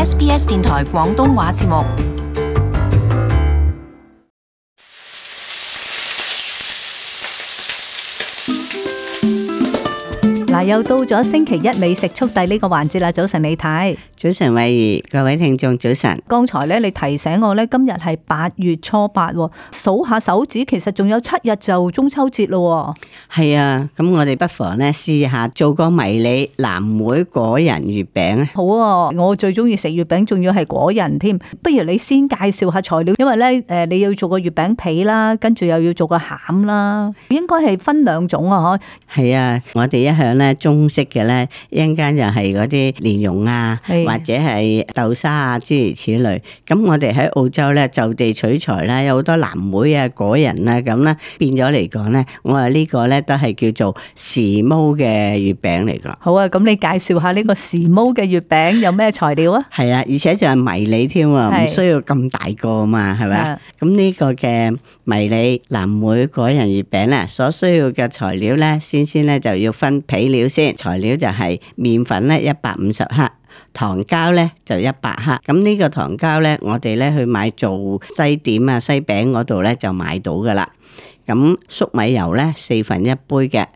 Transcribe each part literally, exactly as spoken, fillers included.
S B S 電台廣東話節目。嗱，又到咗星期一美食速遞呢個環節啦。早晨李太，早晨慧怡，各位聽眾早晨。剛才咧你提醒我咧，今日係八月初八，數下手指，其實仲有七日就中秋節咯。係啊，咁我哋不妨咧試下做個迷你藍莓果仁月餅啊。好啊，我最中意食月餅，仲要係果仁添。不如你先介紹下材料，因為咧誒你要做個月餅皮啦，跟住又要做個餡啦，應該係分兩種啊。嗬，係啊，我哋一向咧中式嘅咧，一陣間就係嗰啲蓮蓉啊，或者係豆沙啊，諸如此類。咁我哋喺澳洲咧就地取材啦，有好多藍莓啊、果仁啊咁啦，變咗嚟講咧，我話呢個咧都係叫做時髦嘅月餅嚟㗎。好啊，咁你介紹下呢個時髦嘅月餅有咩材料啊？係啊，而且仲係迷你添啊，唔需要咁大個嘛，係咪啊？咁呢個嘅迷你藍莓果仁月餅咧，所需要嘅材料咧，先先咧就要分皮料先。材料就係麵粉咧一百五十克，糖膠咧就一百克。咁呢個糖膠咧，我哋咧去買做西點啊、西餅嗰度咧就買到噶啦。咁粟米油咧四分一杯嘅，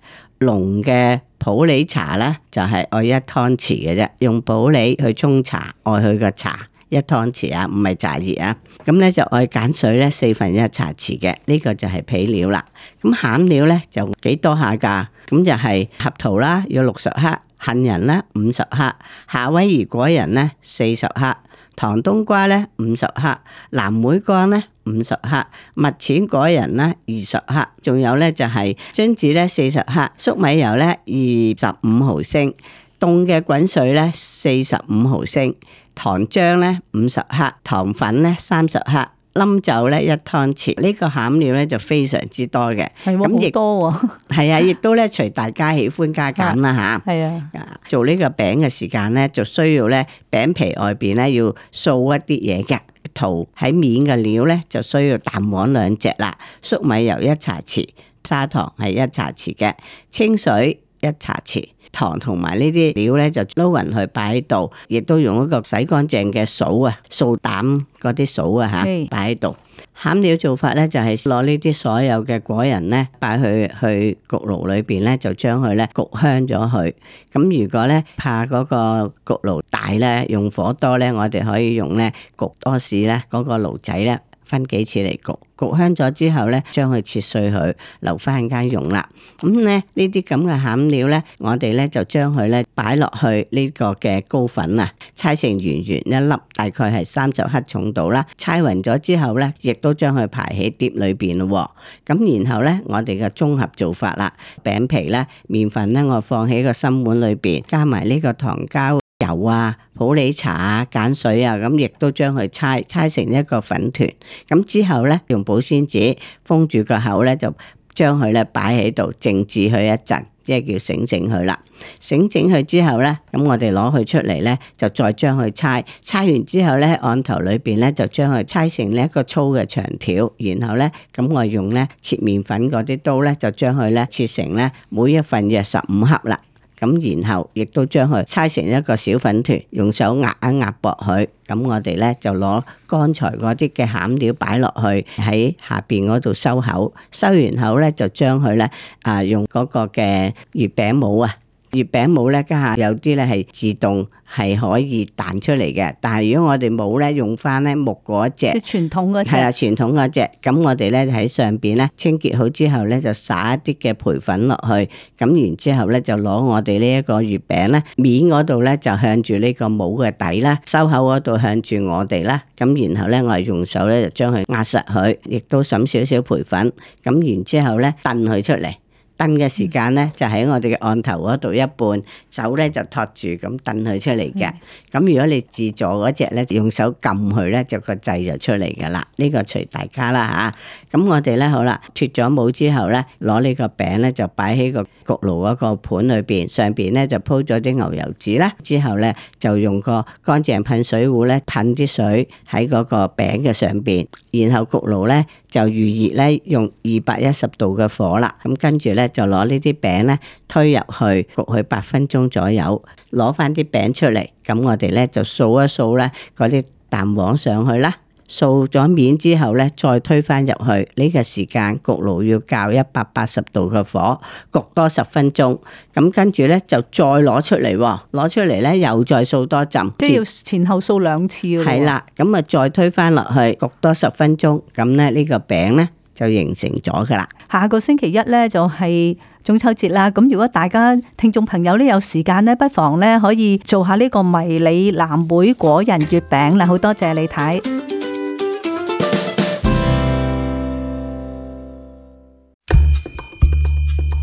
濃嘅普洱茶咧就係愛一湯匙嘅啫，用普洱去沖茶，愛佢個茶一湯匙啊，唔係茶葉啊。咁咧就愛鹼水咧四分一茶匙嘅，呢個就係皮料啦。咁餡料咧就幾多下噶？咁就係合桃啦，要六十克，杏仁咧五十克，夏威夷果仁咧四十克，糖冬瓜咧五十克，藍莓乾咧五十克，蜜餞果仁咧二十克，仲有咧就係榛子咧四十克，粟米油咧二十五毫升，凍嘅滾水咧四十五毫升，糖漿咧五十克，糖粉咧三十克。冧酒咧一湯匙，呢個餡料咧就非常之多嘅，咁亦多喎。係啊，亦都咧隨大家喜歡加減啦吓。係啊，做呢個餅嘅時間咧，就需要咧餅皮外邊咧要掃一啲嘢嘅，塗喺面嘅料咧就需要蛋黃兩隻啦，粟米油一茶匙，砂糖係一茶匙嘅，清水一茶匙。糖同埋呢啲料咧就撈勻去擺喺度，亦都用一個洗乾淨嘅掃啊，掃蛋嗰啲掃啊吓，擺喺度。餡料做法咧就係攞呢啲所有嘅果仁咧擺去去焗爐裏邊咧，就將佢咧焗香咗佢。咁如果咧怕嗰個焗爐大咧，用火多咧，我哋可以用咧焗多士咧嗰個爐仔咧。分幾次嚟焗，焗香咗之後咧，將佢切碎佢，留翻間用啦。咁咧呢啲咁嘅餡料咧，我哋咧就將佢咧擺落去呢個嘅糕粉啊，搓成圓圓一粒，大概係三十克重度啦。搓勻咗之後咧，亦都將佢排喺碟裏邊咯。咁然後咧，我哋嘅綜合做法啦，餅皮咧、麵粉咧，我放喺個深碗裏邊，加埋呢個糖膠。油啊、普洱茶啊、鹼水啊，咁亦都將佢搓搓成一個粉團。咁之後咧，用保鮮紙封住個口咧，就將佢咧擺喺度靜置佢一陣，即係叫醒醒佢啦。醒整佢之後咧，咁我哋攞佢出嚟咧，就再將佢搓。搓完之後咧，案頭裏邊咧就將佢搓成呢一個粗嘅長條。然後咧，咁我用咧切麵粉嗰啲刀咧，就將佢咧切成咧每一份約十五克啦。咁然後亦都將佢搓成一個小粉團，用手壓一壓薄佢。咁我哋咧就攞剛才嗰啲嘅餡料擺落去喺下邊嗰度收口，收完口咧就將佢咧啊用嗰個嘅月餅模啊。月餅模咧，家下有啲咧係自動係可以彈出嚟嘅，但係如果我哋冇咧，用翻咧木嗰隻，即係傳統嗰隻，係啊，傳統嗰隻。咁我哋咧喺上邊咧清潔好之後咧，就撒一啲嘅培粉落去，咁然之後咧就攞我哋呢一個月餅咧面嗰度咧就向住呢個模嘅底啦，收口嗰度向住我哋啦，咁然後咧我係用手咧就將佢壓實佢，亦都灑少少培粉，咁然之後咧燉佢出嚟。燉嘅時間咧，就喺我哋嘅案頭嗰度一半，手咧就托住咁燉佢出嚟嘅。咁如果你自助嗰隻咧，用手撳佢咧，就個掣就出嚟噶啦。呢個隨大家啦嚇。咁我哋咧好啦，脫咗模之後咧，攞呢個餅咧就擺喺個焗爐嗰個盤裏邊，上邊咧就鋪咗啲牛油紙啦。之後咧就用個乾淨噴水壺咧噴啲水喺嗰個餅嘅上邊，然後焗爐咧就就預熱咧用二百一十度嘅火啦。咁跟住咧就攞呢啲餅咧推入去焗佢八分鐘左右，攞翻啲餅出嚟。咁我哋咧就掃一掃咧嗰啲蛋黃上去啦。掃咗面之後咧，再推返入去。呢個時間焗爐要較一百八十度嘅火，焗多十分鐘。咁跟住咧就再攞出嚟，攞出嚟咧又再掃多浸，即係要前後掃兩次咯。係啦，咁啊再推返落去焗多十分鐘。咁咧呢個餅咧就形成咗噶啦。下個星期一咧就係中秋節啦。咁如果大家聽眾朋友咧有時間咧，不妨咧可以做下呢個迷你藍莓果仁月餅啦。好多謝你睇。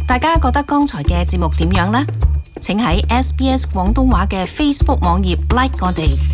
大家覺得剛才嘅節目點樣呢？請喺 S B S 廣東話嘅 Facebook 網頁 like 我哋。